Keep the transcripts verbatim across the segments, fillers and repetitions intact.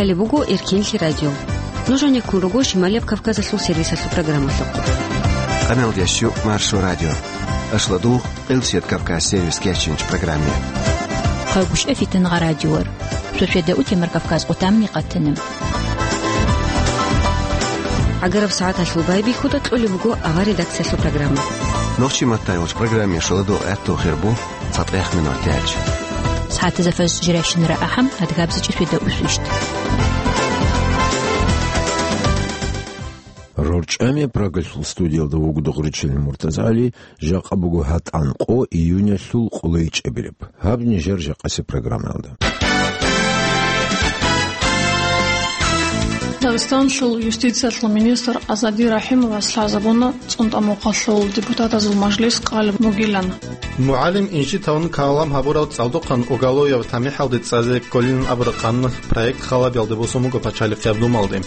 Гьале буго Эркенлъи радио. Нуж гьанеккун руго Шималияб Кавказалъул сервисалъул программалъухъ. Къамел ящу Маршо радио. Ашладу Къилсият Кавказ сервис кечинч программе. Хъагушев Фитнагъа радиор. Сосведа утемар Кавказ къутамни къатана. ГӀагараб сагӀаталъул байбихьуда кьолеб буго авар редакциялъул программа. Нохчи маттайолч программе шаладу гӀатту хирбу цатӀех минут яч. СагӀатазда фаз жиращинара ахӀам адгабзичӀи сосведа усвищт. РорчӀами Прагалъул студиялда вугода гъуричилин МуртазгӀали, жакъа буго гьатӀан къо июнялъул къулайчӀебилеб. Гьаб нижер жакъасе программаялда. Дагъистанлъул юстициялъул министр Азади Рахимовас лъазабуна ЦӀунтӀа-Мухъалъул депутатазул мажлис къалеб бугилан. МугӀалим инжит тавун калам гьабурав цӀалдохъан Оголоев ТамихӀалде цӀазе кколин абураб къанун проект халабиялде босун буго Пачалихъ Гьабдумалде.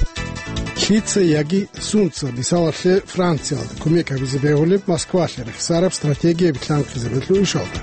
Лъица яги сунца, мисалалъе, Франциялда кумек гьабизе бегьулеб Москвалъе рехсараб стратегия билълъанхъизабилъул ишалда.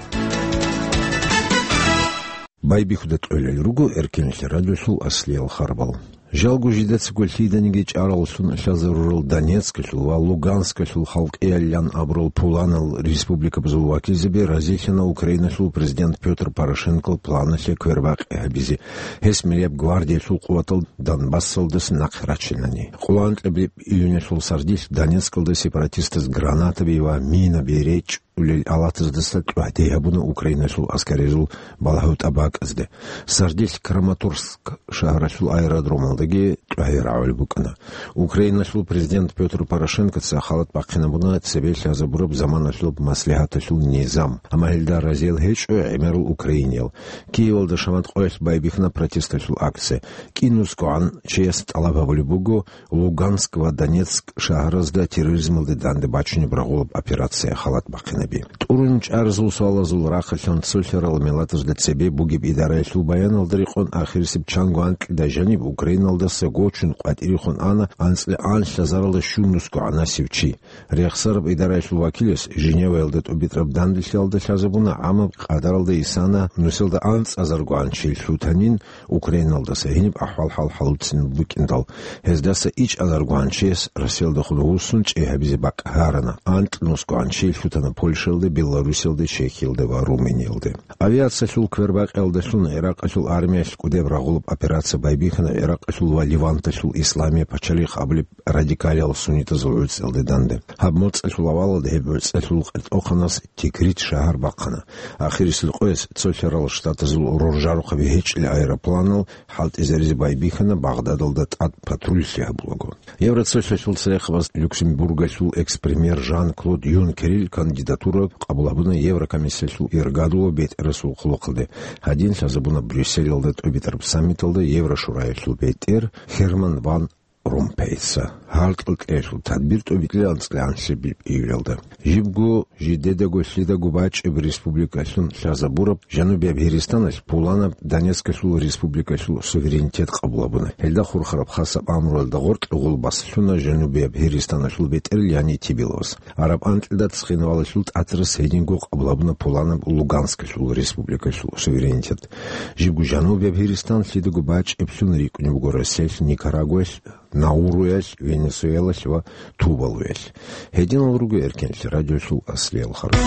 Байбихьуда кьолел руго Эркенлъи радиолъул аслиял харбал. Жалго жидецаго лъиданиги чӀараллъун лъазарурал Донецкалъул ва Луганскалъул халкъиялилан абурал пуланал республикабазул вакилзаби разилъана Украиналъул президент Пётр Порошенкол планалъе квербакъи гьабизе, гьес милияб гвардиялъул къуватал Донбассалдаса нахъе рачинани. Къоло анкьабилеб июнялъул сардилъ Донецкалда сепаратистаз гранатаби ва минаби речӀ улел алатаздаса тӀухӀде гьабуна Украиналъул аскаризул балагьутӀа бакӀазде. Сардилъ Краматорск шагьаралъул аэродромалдаги тӀухӀде рагӀулеб букӀана. Украиналъул президент Пётр Порошенкоца халат бахъинабуна цебе лъазабураб заманалъул маслигьаталъул низам, амма гьелда разиял гьечӀо гӀемерал украиниял. Киевалда шамат къоялъ байбихьана протесталъул акция. КӀинусгогӀан чияс тӀалаб гьабулеб буго Луганск ва Донецк шагьаразда терроризмалде данде бачунеб рагъулаб операция халат бахъинаби. ТӀурун чӀарзул суалазул рахъалъан цолъарал миллатазда цебе бугеб идараялъул баяналда рекъон ахирисеб чанго анкьида жаниб Украиналдаса гочун къватӀирехун ана анцӀила анлъазаралда щунусгогӀанасев чи. Рехсараб идараялъул вакилас Женеваялда тӀубитӀараб данделъиялда лъазабуна гӀамаб къадаралда исана нусилда анцӀазаргогӀан чи лъутанин, Украиналдаса гьениб ахӀвал-хӀал хӀалуцин букӀиндал, гьездаса ичӀазаргогӀан чияс Россиялдехун вуссун чӀей гьабизе бакӀ гьарана, анкьнусгогӀан чи лъутана Польшаялда, Беларусиялда, Чехиялда ва Румыниялда. Авиациялъул квербакъиялдалъун ГӀиракъалъул армиялъ кӀудеб рагъулаб операция байбихьана ГӀиракъалъул ва Леванталъул исламия пачалихъ абулеб радикалиял суннитазул гӀуцӀиялде данде. Гьаб моцӀалъул авалалда гьеб гӀуцӀалъул къеркьохъанас Тикрит шагьар бахъана. Ахирисел къояс цолъарал штатазул роржарухъаби гьечӀел аэропланал хӀалтӀизаризе байбихьана Багъдадалда тӀад патруллъи гьабулаго. Евроцолъалъул церехъабаз Люксембургалъул экс-премьер Жан-Клод Юнкерил кандидатура къабул гьабуна Еврокомиссиялъул иргадул ва бетӀерасул хъулухъалде. Гьадин лъазабуна Брюсселалда тӀубитӀараб саммиталда Еврошураялъул бетӀер Херман ван Ромпейица. Гьаркьал кьеялъул тадбир тӀубитӀила анцӀила анлъабилеб июлалда. Жибго жидедаго лъидаго бачӀеб республикалъун лъазабураб Жанубияб Гьиристаналъ пуланаб Донецкалъул республикалъул суверенитет къабул гьабуна. Гьелда хурхараб хасаб амруялда гъоркье гъул баслъуна Жанубияб Гьиристаналъул бетӀерал, яни Тибиловас. Араб анкьида цхинвалалъул тӀатарас гьединго къабул гьабуна пуланаб Луганскалъул республикалъул суверенитет. Жибго Жанубияб Гьиристан лъидаго бачӀеблъун рикӀкӀунеб буго Россиялъ, Никарагуаялъ, Науруялъ, Венесуэлалъ ва Тувалуялъ. Гьединал руго Эркенлъи радиолъул аслиял харбал.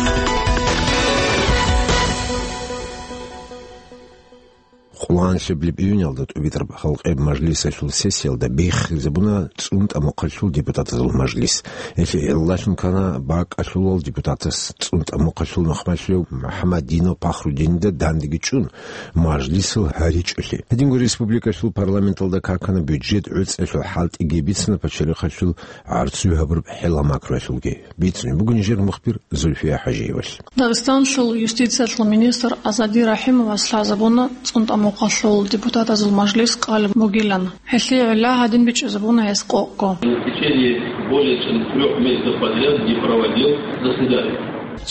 Къоло анлъабилеб июнялда тӀубитӀараб халкъияб мажлисалъул сессиялда биххизабуна ЦӀунтӀа-Мухъалъул депутатазул мажлис. Гьелъие гӀиллалъун ккана бакӀалъулал депутатас ЦӀунтӀа-Мухъалъул нухмалъулев МухӀаммадинов Пахрудинида дандеги чӀун, мажлисал гьаричӀолъи. Гьединго республикалъул парламенталда какана бюджет гӀуцӀиялъул хӀалтӀиги бицана пачалихъалъул гӀарцуй гьабураб хӀела-макруялъулги. Бицунеб буго нижер мухбир Зульфия ХӀажиевалъ. Дагъистанлъул юстициялъул министр Азади Рахимовас лъазабуна ЦӀунтӀа-Мухъалъул депутатазул мажлис къалеб бугилан. Гьелъие гӀилла гьадин бичӀчӀизабуна гьес къокъго. В течение более чем трёх месяцев подряд не проводил заседаний.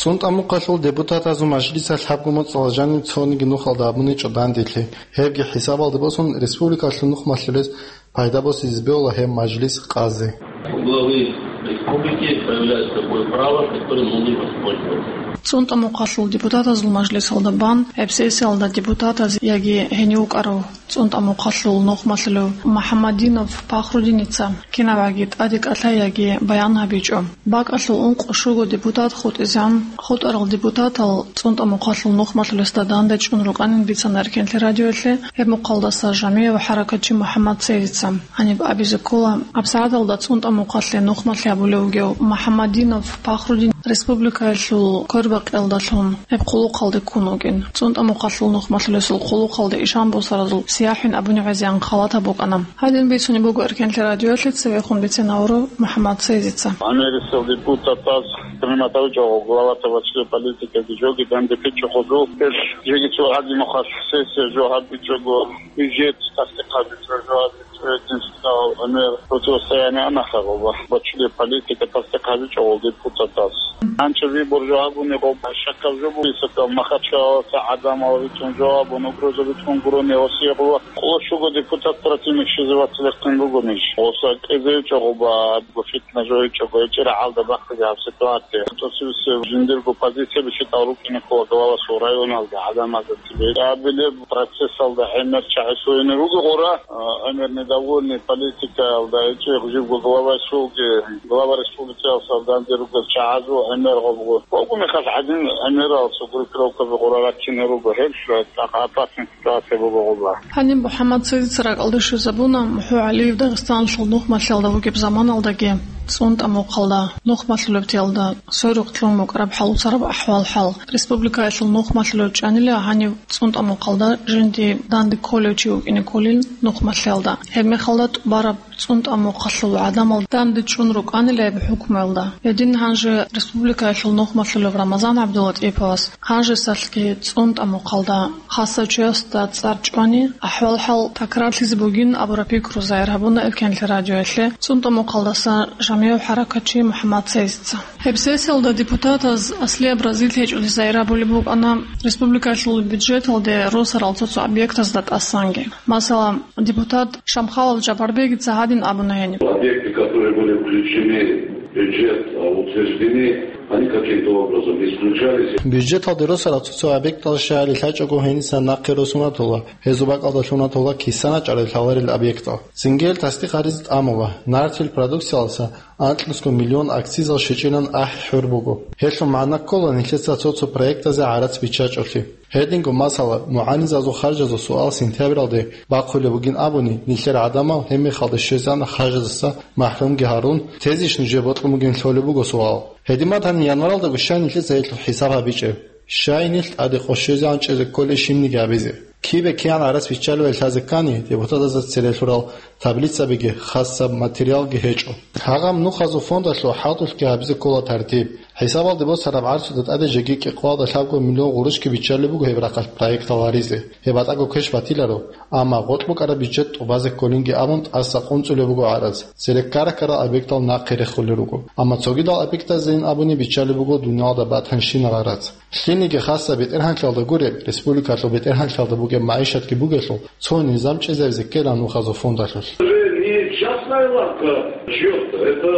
ЦӀунтӀа-Мухъалъул депутатазул мажлисалъ гьабго моцӀалда жаниб цониги нухалда абуничӀо данделъи. Гьебги хӀисабалде босун, республикалъул нухмалъулез пайда босизе бегьула гьеб мажлис къазе. У главы Республики появляется такое право, которым мы не воспользовались. ЦӀунтӀа-Мухъалъул депутатазул мажлисалда бан гьеб сессиялда депутатаз яги гьенив вукӀарав ЦӀунтӀа-Мухъалъул нухмалъулев МухӀаммадинов Пахрудиница кинабгӀаги тӀаде кӀалъай яги баян гьабичӀо. БакӀалъул ункъо-щуго депутат хутӀизегӀан хутӀарал депутатал ЦӀунтӀа-Мухъалъул нухмалъулесда дандечӀун рукӀанин бицана Эркенлъи радиоялъе гьеб мухъалдаса жамигӀав хӀаракатчи МухӀаммад Цейзица. Гьаниб абизе ккола, абсагӀаталда ЦӀунтӀа-Мухъалъе нухмалъи гьабулев вугев МухӀаммадинов Пахрудин республикаялъул квербакъиялдалъун гьеб хъулухъалде ккун вугин. ЦӀунтӀа-Мухъалъул нухмалъулесул хъулухъалде ишан босаразул сияхӀин абуни гӀезегӀан халатаб букӀана. Гьадин бицунеб буго Эркенлъи радиоялъе цевехун бицен гьавурав МухӀаммад Цейзица. Америкасул депутатаз принимать гьавичӀого главата вачли политика бижоги данде пичӀого жо. Ил жеги цо гьадинахъа сессия жо гьабичӀого, бюджет тасдикъ гьабичӀого жо гьабичӀого, гьедин цӀал гӀемер противостояние анахъа гъоба. Вачли политика тасдикъ гьабичӀого депутатаз. Анча выбор жо гьабуни гъоба, щакаб жо бугесакал, Махачкалаласа гӀадамал витӀун жо гьабун, угроза витӀун гурони Россия гъоба. Къо-щуго депутат противник щизе вацлехъин бугонищ? Гъоса кӀезевичӀого ба, гъо фитна жойчӀого, гьечӀира гӀалда бахъизе гьаб ситуация. ТӀосивсев жиндирго позиция бихьитӀал рукӀине ккола главасул районалда гӀадамазда цебе. Абилеб процессалда гӀемер чагӀи суйни руго гъора, а, гӀемер недовольный политикаялда гьечӀеб жибго главасулги, глава республикаялсал данде ругел чагӀазул гӀемер гъобго. Гъобго мехалъ гӀадин гӀемерал цо группировкаби гъора раккине руго, гьелъ цӀакъ опасный ситуация буго гъоба. Гьаниб МухӀаммад Цейзица ракӀалде щвезабуна, МухӀу ГӀалиев Дагъистаналъул нухмалъиялда вугеб заманалдаги, ЦӀунтӀа-Мухъалда нухмалъулебтиялда сверухъ лъун букӀараб хӀал-, цараб ахӀвал-хӀал, республикаялъул нухмалъулев чӀанила гьанив ЦӀунтӀа-Мухъалда жинди данде кколев чи вукӀине кколин нухмалъиялда. Гьеб мехалда тӀубараб ЦӀунтӀа-Мухъалъул гӀадамал данде чӀун рукӀанила гьеб хӀукмуялда. Гьедин гьанже республикаялъул нухмалъулев Рамазан ГӀабдуллатӀиповас гьанжесалъги ЦӀунтӀа-Мухъалда хасав чиясда цӀар чӀвани, ахӀвал-хӀал такрарлъизе бугин абураб пикру загьир гьабуна Эркенлъи радиоялъе ЦӀунтӀа-Мухъалдаса жамигӀав хӀаракатчи МухӀаммад Цейзица. Гьеб сессиялда депутатаз аслияб разилъи гьечӀолъи загьир гьабулеб букӀана республикалъул бюджеталде росарал цо-цо объектазда тӀасанги. Масала, депутат Шамхалов Жапарбегица гьадин абуна гьениб. Объекты, которые были включены в бюджет, а, утверждены, они каким-то образом исключались. Бюджеталде росарал цо-цо объектал щаяли лъачӀого гьениса нахъе росунатула, гьезул бакӀалда лъунатула кисана чӀарай лъаларел объектал. Цинги гьел тасдикъ гьаризе тӀамула, нартил продукциялдаса анкьнусго миллион акцизал щечӀинан ахӀи хӀур буго. Гьелъул магӀна ккола нилъеца цо-цо проектазе гӀарац биччачӀолъи. Гьединго, масала, мугӀанизазул харжазул суал сентябралде бахъулеб бугин абуни, нилъер гӀадамал гьеб мехалда щвезегӀан харжаздаса махӀрумги гьарун, тезищ нужее бокьун бугин лъолеб буго суал. Гьедин батани, январалдаго щай нилъеца гьелъул хӀисаб гьабичӀеб? Щай нилъ тӀаде къо щвезегӀан чӀезе кколей щибниги абизе? Кибе кигӀан гӀарац биччалебали лъазе ккани, депутатазда церелъурал таблицабиги, хасаб материалги гьечӀо. Гьагъаб нухазул фондалъул хӀалтӀулъги гьабизе ккола тартиб. ХӀисабалде босараб гӀарцуда тӀаде жеги кӀикъоялда лъабго миллион гъурущги биччалеб буго гьеб рахъалъ проектал гьаризе. Гьеб батӀаго квеш батиларо, амма гъоркь букӀараб бюджет тӀубазе кколинги абун тӀаса къунцӀулеб буго гӀарац. Цереккаракарал объектал нахъе рехулел руго. Амма цогидал объектазейин абуни биччалеб буго дуниялда батанщинал гӀарац. Лъилниги хасаб бетӀергьанлъиялда гуреб, республикалъул бетӀергьанлъиялда бугеб магӀишатги бугелъул, цо низам чӀезавизе ккела нухазул фондалъулъ. Уже не частная лавка чьё-то, это,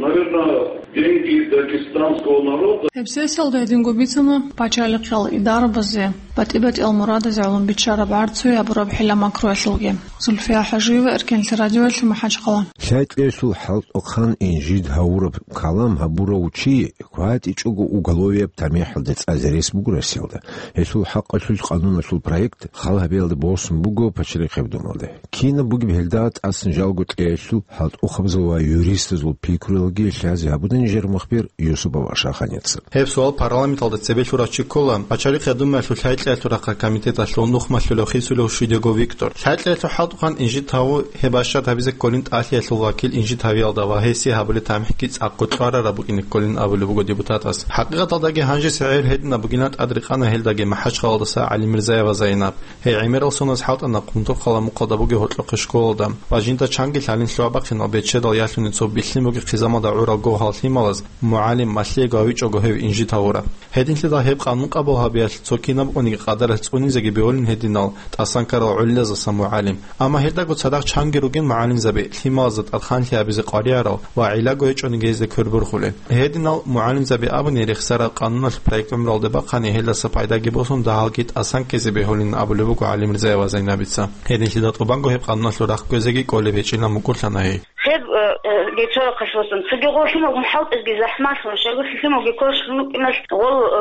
наверное, деньги дагестанского народа. Гьеб сессиялда гьединго бицана пачалихъал идарабазе, батӀи-батӀиял мурадазе гӀоло биччараб гӀарцуе абураб хӀила-макруялъулги. Зульфия ХӀажиева, Эркенлъи радиоялъе, МахӀачхъала. ЛъайтӀлъиялъул хӀалтӀухъан инжит гьавураб калам гьабурав чи кватӀичӀого уголовияб тамихӀалде цӀализе рес буго Россиялда. Гьелъул хӀакъалъулъ къануналъул проект хал гьабиялде босун буго Пачалихъияб Думалде. Кинаб бугеб гьелда тӀасан жалго кьеялъул хӀалтӀухъабазул ва юристазул пикруялги лъазе гьабуна нижер мухбир Юсупов Ашаханица. Гьеб суал парламенталда цебе лъурав чи ккола, Пачалихъияб Думаялъул ЛъайтӀлъиялъул рахъалъ комитеталъул нухмалъулев Хисулев Шидего Виктор. ЛъайтӀлъиялъул хӀалтӀухъан инжит гьаву гьеб бащад гьабизе кколин тӀалъиялъул вакил инжит гьавиялда ва гьесие гьабулеб тамихӀги цӀакъго кьварараб букӀине кколин абулеб буго депутатас. ХӀакъикъаталдаги гьанжеса гӀемер гьединаб бугилан тӀад рекъана гьелдаги МахӀачхъалалдаса ГӀалимирзаева Зайнаб. Гьей гӀемерал соназ хӀалтӀана Къунтурхъала мухъалда бугеб гьоркьохъеб школалда ва жинда чанги лъалин лъугӀа-бахъинал бечедал ялъуни цо билълъин бугеб хъизамалда гӀурал гогьаллъи Лъималаз мугӀалим малъиего гьавичӀого гьев инжит гьавураб. Гьединлъидал гьеб къанун къабул гьабиялъ цо кинаб униги къадаралъ цӀунизеги бегьулин гьединал тӀасан ккарал гӀолилазасан мугӀалим. Амма гьелдаго цадахъ чанги ругин мугӀалимзаби, лъималазда тӀадхъанлъи гьабизе къваригӀарал ва гӀиллаго гьечӀониги гьезда квербурхулел. Гьединал мугӀалимзаби абуни, рехсараб къануналъ проект гӀумралде бахъани, гьелдаса пайдаги босун, дагьалги тӀасан ккезе бегьулин абулеб буго ГӀалимирзаева Зайнабица. Гьединлъидал тӀубанго гьеб къануналъул рахъ кквезеги кӀолеб гьечӀилан мукӀурлъана гьей. Гьеб, э, э, гьечӀо рахъалъ босун. Цоги гъо лъималгун хӀалтӀизги захӀмалъун, щайгурелъул лъималги квешалъун вукӀиналъ гъол, э,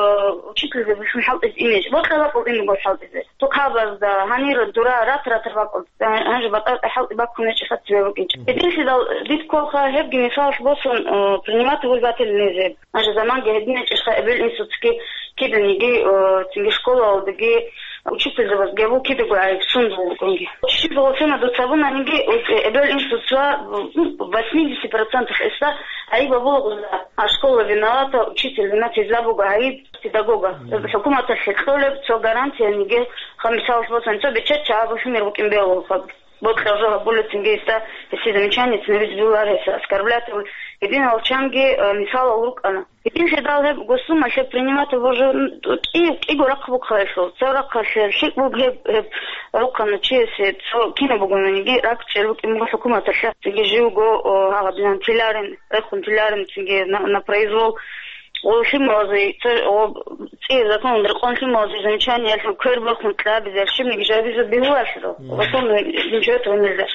учительзабилъун хӀалтӀизе ине. Бокьа бакӀул ине гъол хӀалтӀизе. Тухабазда, гьанир дура ратаратар бакӀул. Э, гьанже батӀа-батӀа хӀалтӀи баккун гьечӀо хатӀ цебе букӀинчӀо. Гьединлъидал дид кколха гьебги мисалалъ босун, э, принимать воспитатель незер. Гьанже заманги гьедин гьечӀелха эбел-инсуцги киданиги, э, цинги школалдаги, учительзабазги абу кидаго гӀайиб сундул букӀунги. Щиб гъосина дуца абунаниги, э, эбел-инсуца, ну, восьмидесяти процентах эсда гӀайиб абула гъуза. А школа виновата, учитель виноват, гьезда буго гӀайиб педагога. ХӀукуматалъе кьолеб цо гарантияниги, ха, мисалалъ босани, цо бечедчагӀа бухӀунер букӀин бегьулха. Бокьа жо гьабула цинги гьесда, гьесие замечание цинабизе бегьулар, гьес оскорблять гьабула. Гьединал чанги, э, мисалал рукӀана. Гьединлъидал гьеб госумалъе принимать гьабуржун кӀи-, кӀиго рахъ букӀа гьелъул. Цо рахъалъе лъикӀ буго гьеб, гьеб рухъана чиясе, цо кинаб бугониги ракӀчӀел букӀин буго хӀукуматалъе. Цинги живго, о, гьагъадинан тиларин, рехун тиларин цинги на, на произвол. О, лъималазе, цо, о, цӀияб законалда рекъон лъималазе замечаниялъун квер бахун кьабизе, щибниги жабизе бегьуларищ? Мгм. Особенно ничего этого нельзя.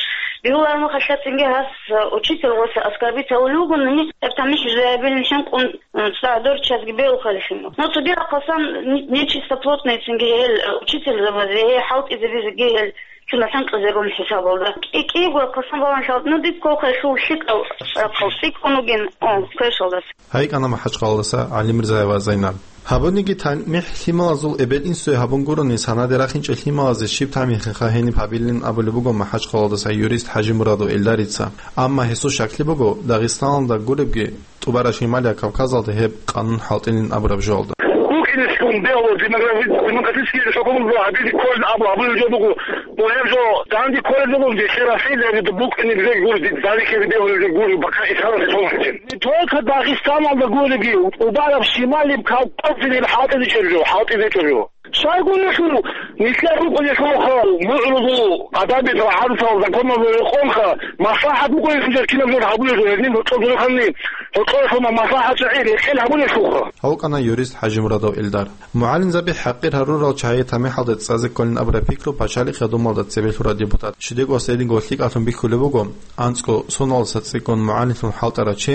Бегьулармухъалъа цинги гьас, э, учитель гъоса оскорбить гьавулев вугони, гьеб тамихӀ жо гьабилин хӀинкъун, э, цӀакъ дорччазги бегьулхъали лъимал. Но цоги рахъасан не-, нечистоплотный цинги гьел, э, учительзабазе, гьей хӀалтӀизабизеги гьел чуна хӀинкъизарун хӀисабалда. КӀи-, кӀиго рахъасан балан хӀалтӀи, ну, диб кколха гьелъул лъикӀав рахъал цӀикӀкӀун вугин, о, квешалдаса. Гьайкьана МахӀачхъалалдаса ГӀалимирзаева Зайнаб. Гьабуниги тамихӀ лъималазул эбел-инсуе гьабун гурони, санаде рахинчӀел лъималазе щиб тамихӀиха гьениб гьабилин абулеб буго МахӀачхъалалдаса юрист ХӀажимурадов Эльдарица. Амма гьесул щаклъи буго, Дагъистаналда гуребги, ТӀубараб Шималияб Кавказалда гьеб къанун хӀалтӀилин абураб жоялда. БукӀинелъун бегьула демографи-, демократический реформа гьабизе кколин абу-, абулеб жо буго. Гьеб жо данде кколеб буго, дехе Россиялда букӀине бегьула, данде ккезе бегьулеб жо гуро, бакъа исаласе томахъе. Не только Дагъистаналда гуреги, тӀубараб Шималияб Кавказалда хӀалтӀизечӀеб жо, хӀалтӀизечӀеб жо. Щайгурелъул, нилъер рукъулелъулха мугӀрузул гӀадабил гӀадатал законалда рекъонха, маслахӀат букӀунелъул кинаб жо гьабулелъул, гьедин гьоркьоб журханни, гьоркьоялъуна маслахӀат чагӀи рекъел гьабулелъулха. ГьавкӀана юрист ХӀажимурадов Эльдар. МугӀалимзаби хӀакъир гьарурал чагӀи тамихӀалде цӀазе кколин абураб пикру пачалихъ гьадумалда цебе лъурав депутат Шидегов Саидиго лъикӀалъун бихьулеб буго, анцӀго соналдаса цӀикӀкӀун мугӀалимлъун хӀалтӀарав чи,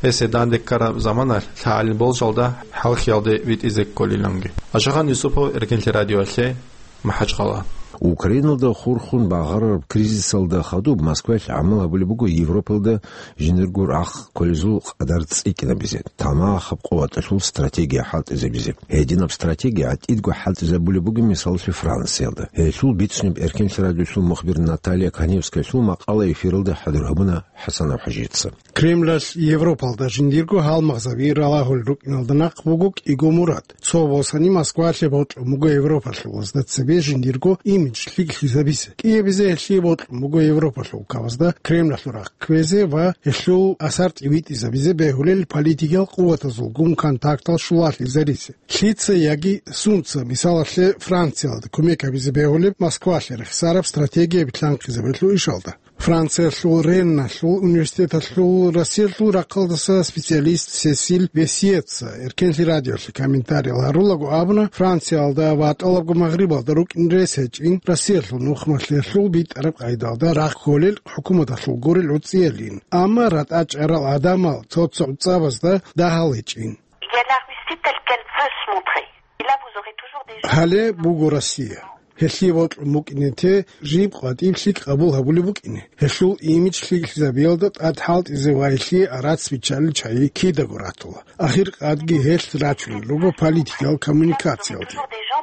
гьесие данде ккараб заманалъ лъагӀалил болжалда хӀалхьиялде витӀизе кколиланги. Ашахан Юсупов, Эркенлъи радиоялъе, МахӀачхъала. Украиналда хурхун багъарараб кризисалда хадуб Москваялъ гӀамал гьабулеб буго Европалда жиндирго рахъ кколезул къадар цӀикӀкӀинабизе, тамахаб къуваталъул стратегия хӀалтӀизабизе. Гьединаб стратегия гӀатӀидго хӀалтӀизабулеб буго, мисалалъе, Франциялда. Гьелъул бицунеб Эркенлъи радиолъул мухбир Наталья Каневскаялъул макъала эфиралда хӀадур гьабуна ХӀасан ХӀажица. Кремлалъ Европалда жиндирго гьалмагъзаби ралагьулел рукӀиналда нахъ буго кӀиго мурад. Цо босани Москвалъе бокьун буго европалъулазда цебе жиндирго имидж лъикӀлъизабизе. КӀиабизе гьелъие бокьун буго европалъул кавазда Кремлалъул рахъ кквезе ва гьелъул асар тӀибитӀизабизе бегьулел политикиял къуватазулгун контактал щулалъизаризе. Лъица яги сунца, мисалалъе, Франциялда кумек гьабизе бегьулеб Москвалъе рехсараб стратегия битлъанхъизабилъул ишалда. Франциялъул Ренналъул университеталъул Россиялъул рахъалдаса специалист Сесиль Весиеца Эркенлъи радиолъе комментариял гьарулаго абуна, Франциялда ва тӀалабго Магърибалда рукӀин рес гьечӀин Россиялъул нухмалъиялъул битӀараб къайдалда рахъ кколел хӀукуматалъул гурел гӀуцӀиялин. Амма ратӀа чӀарал гӀадамал цо-цо гӀуцӀабазда дагьал гьечӀин. Il y a la Russie telle qu'elle veut se montrer. Et là, vous aurez toujours des gens. Гьале буго Россия. Гьелъие бокьун букӀине те жиб къватӀиб лъикӀ къабул гьабулеб букӀине. Гьелъул имидж лъикӀлъизабиялда тӀад хӀалтӀизе ва гьелъие арац биччалел чагӀи кидаго ратула. Ахиркъадги гьелъ рачунел руго политикиял коммуникациялде.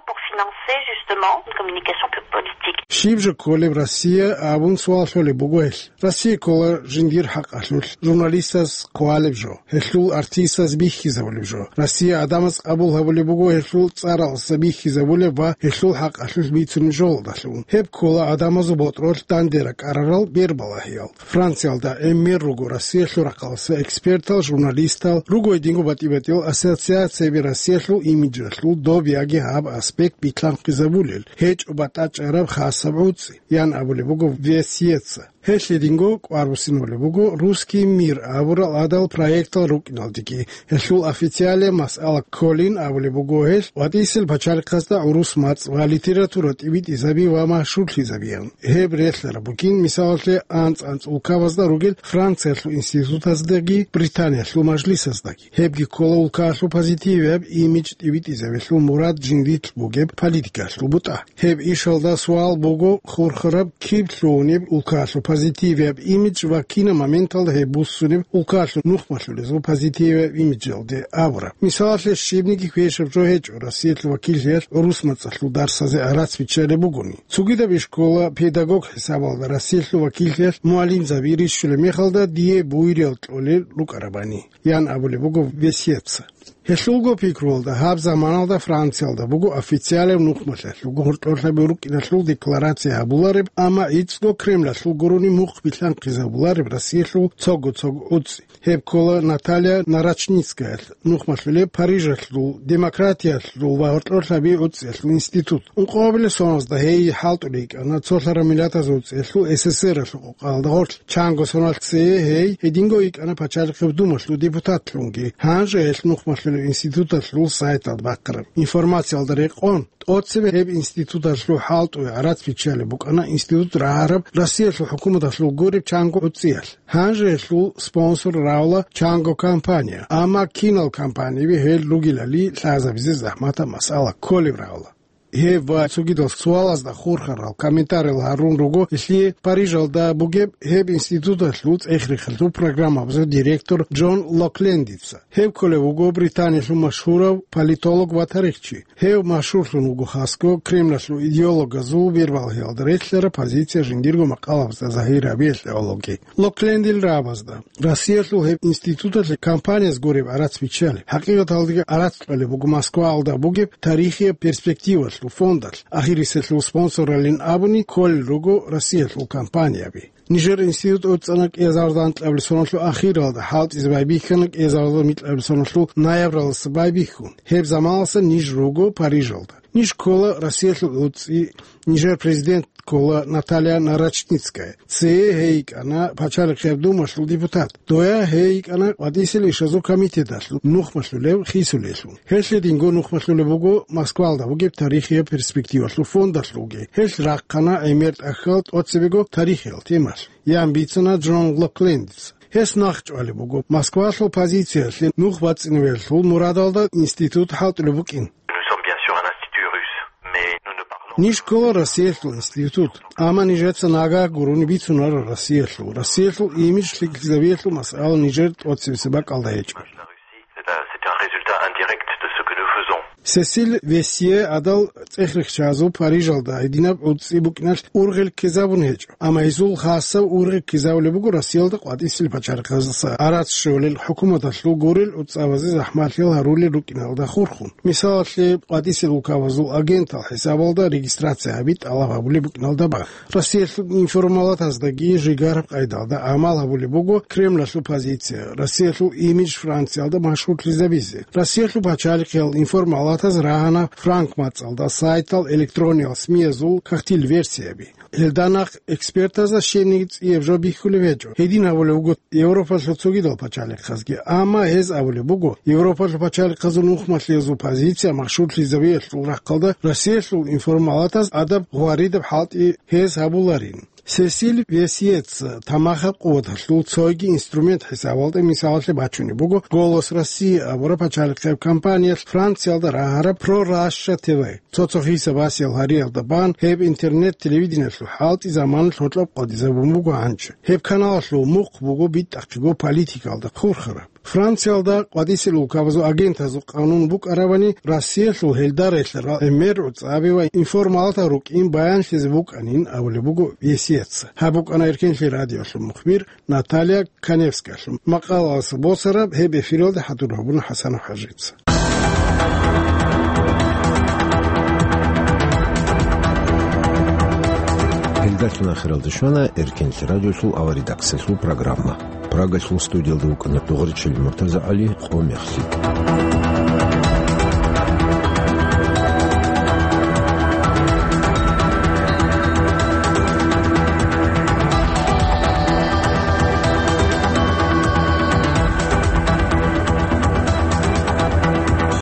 pour financer justement une communication plus politique. Щиб жо кколеб Россия абун суал лъолеб буго гьелъ. Россия ккола жиндир хӀакъалъулъ журналистаз хъвалеб жо, гьелъул артистаз бихьизабулеб жо. Россия гӀадамаз къабул гьабулеб буго гьелъул цӀаралдаса бихьизабулеб ва гьелъул хӀакъалъулъ бицунеб жоялдалъун. Гьеб ккола гӀадамазул ботӀролъ данде ракӀарарал бербалагьиял. Франциялда гӀемер руго Россиялъул рахъалдаса экспертал, журналистал, руго гьединго батӀи-батӀиял ассоциацияби Россиялъул имиджалъул доб яги гьаб аспект билълъанхъизабулел, гьечӀо батӀачӀараб хасаб гӀуцӀи, ян абулеб буго Весьеца. Гьелъ гьединго кӀвар буссинабулеб буго «Русский мир» абурал гӀадал проектал рукӀиналдеги. Гьелъул официалияб масъала кколин абулеб буго гьелъ, ватӀисел пачалихъазда гӀурус мацӀ ва литература тӀибитӀизаби ва машгьурлъизабиян. Гьеб релълъараб бугин, мисалалъе, анцӀ-анцӀ улкабазда ругел Франциялъул институтаздаги Британиялъул мажлисаздаги. Гьебги ккола улкаялъул позитивияб имидж тӀибитӀизабилъул мурад жиндилъ бугеб политикалъул бутӀа. Гьеб ишалда суал буго хурхараб, киб лъугьунеб улкаялъул позитивияб имидж ва кинаб моменталда гьеб буссунеб улкаялъул нухмалъулезул позитивияб имиджалде абураб. Мисалалъе, щибниги квешаб жо гьечӀо Россиялъул вакиллъиялъ гӀурус мацӀалъул дарсазе гӀарац биччалеб бугони. Цогидаб ишкола педагог хӀисабалда Россиялъул вакиллъиялъ мугӀалимзаби рищулеб мехалда дие буйриял кьолел рукӀарабани, ян абулеб буго Весьеца. Гьелъулго пикруялда, гьаб заманалда Франциялда буго официалаб нухмалъулго гьоркьорлъаби рукӀиналъул декларация гьабулареб, амма гӀицӀго Кремлалъул гурони мухъ билълъанхъизабулареб Россиялъул цого-цого гӀуцӀи. Гьеб ккола Наталья Нарочницкаялъ нухмалъулеб Парижалъул демократиялъул ва гьоркьорлъаби гӀуцӀиялъул институт. Ункъоабилеб соналда гьей хӀалтӀулей йикӀана цолъараб миллатазул гӀуцӀиялъул СССР-алъул къокъалда гъорлъ. Чанго соналъ цее гьей гьединго йикӀана Пачалихъеб Думалъул депутатлъунги. Гьанже гьелъ нухмалъулеб институталъул сайталда бахъараб информациялда рекъон, тӀоцебе гьеб институталъул хӀалтӀуе гӀарац биччалеб букӀана институт рагьараб Россиялъул хӀукуматалъул гуреб чанго гӀуцӀиялъ. Гьанже гьелъул спонсор равла чанго компания, амма кинал компаниби гьел ругелали лъазабизе захӀматаб масъала кколеб равла. Гьеб ва цогидал суалазда хурхарал комментариял гьарун руго гьелъие Парижалда бугеб гьеб институталъул цӀех-рехалъул программабазул директор Джон Локлендица. Гьев кколев вуго Британиялъул машгьурав политолог ва тарихчи. Гьев машгьурлъун вуго хасго Кремлалъул идеологазул бербалъиялда релълъараб позиция жиндирго макъалабазда загьир гьабиялъе гӀологи. Локлендил рагӀабазда, Россиялъул гьеб институталъе компанияз гуреб гӀарац биччалеб, хӀакъикъаталдаги гӀарац кьолеб буго Москваялда бугеб тарихияб перспективалъул фондалъ, ахириселъул спонсоралин абуни кколел руго Россиялъул компанияби. Нижер институт цӀана кӀиазарда анкьабилеб соналъул ахиралда, хӀалтӀизе байбихьана кӀиазарда микьабилеб соналъул ноябралдаса байбихьун. Гьеб заманалдаса ниж руго Парижалда. Ниж ккола Россиялъул гӀуцӀи, нижер президент ккола Наталья Нарочницкая. Цее гьей йикӀана Пачалихъеб Думалъул депутат. Доя гьей йикӀана КъватӀисел ишазул комитеталъул нухмалъулев хисулелъул. Гьелъ гьединго нухмалъулеб буго Москвалда бугеб тарихияб перспективалъул фондалъулги. Гьелъ рахъана гӀемер тӀахьал тӀоцебего тарихиял темалъ, ян бицана Джон Локлендица. Гьес нахъчӀвалеб буго Москвалъул позициялъе нух бацӀцӀинабиялъул мурадалда институт хӀалтӀулеб букӀин. Nous sommes bien sûr un institut russe, mais nous ne parlons Ниж ккола Россиялъул институт, амма нижеца нагагь гурони бицунара Россиялъул. Россиялъул имидж лъикӀлъизабиялъул масъала нижер тӀоцебесеб бакӀалда гьечӀо. C'est un, c'est un résultat indirect de ce que nous faisons. Сесиль Весье гӀадал цӀех-рехчазул Парижалда гьединаб гӀуцӀи букӀиналъ ургъел ккезабун гьечӀо, амма гьезул хасаб ургъел ккезабулеб буго Россиялда къватӀисел пачалихъаздаса гӀарац щолел хӀукуматалъул гурел гӀуцӀабазе захӀмалъиял гьарулел рукӀиналда хурхун. Мисалалъе, къватӀисел улкабазул агентал хӀисабалда регистрация гьаби тӀалаб гьабулеб букӀиналда бан. Россиялъул информалатаздаги жигараб къайдалда гӀамал гьабулеб буго Кремлалъул позиция, Россиялъул имидж Франциялда машгьурлъизабизе. Россиялъул пачалихъиял информалатаз рагьана франк мацӀалда сайтал, электрониял СМИ-язул кагътил версияби. Гьелда нахъ экспертазда щениг цӀияб жо бихьулеб гьечӀо. Гьедин гьабулеб буго Европалъул цогидал пачалихъазги. Амма гьез абулеб буго, Европалъул пачалихъазул нухмалъиязул позиция машгьурлъизабиялъул рахъалда Россиялъул информалатаз адаб гъваридаб хӀалтӀи гьез гьабуларин. Сесиль Весьеца тамахаб къуваталъул цойги инструмент хӀисабалда мисалалъе бачунеб буго «Голос России» абураб пачалихъеб компаниялъ Франциялда рагьараб Про Раша Т В. Цо-цо хиса-басиял гьариялда бан гьеб интернет-телевидениялъул хӀалтӀи заманалъ гьоркьоб къватӀизабун буго гьанже. Гьеб каналалъул мухъ буго битӀахъего политикалда хурхараб. Франциялда къвадисел улкабазул агентазул къанун букӀаравани, Россиялъул гьелда релълъарал гӀемер, гӀуцӀаби ва информалатал рукӀин баянлъизе букӀанин абулеб буго весиятца. Гьаб букӀана Эркенлъи радиолъул мухбир Наталья Каневскалъул макъалаялъул босараб, гьеб эфиралда хӀадур гьабуна ХӀасан ХӀажица. Гьелдалъун ахиралде щвана Эркенлъи радиолъул аваридакциялъул программа. Прагалъул студиялда вукӀана Дугъричил МуртазагӀали, къо мехлъи.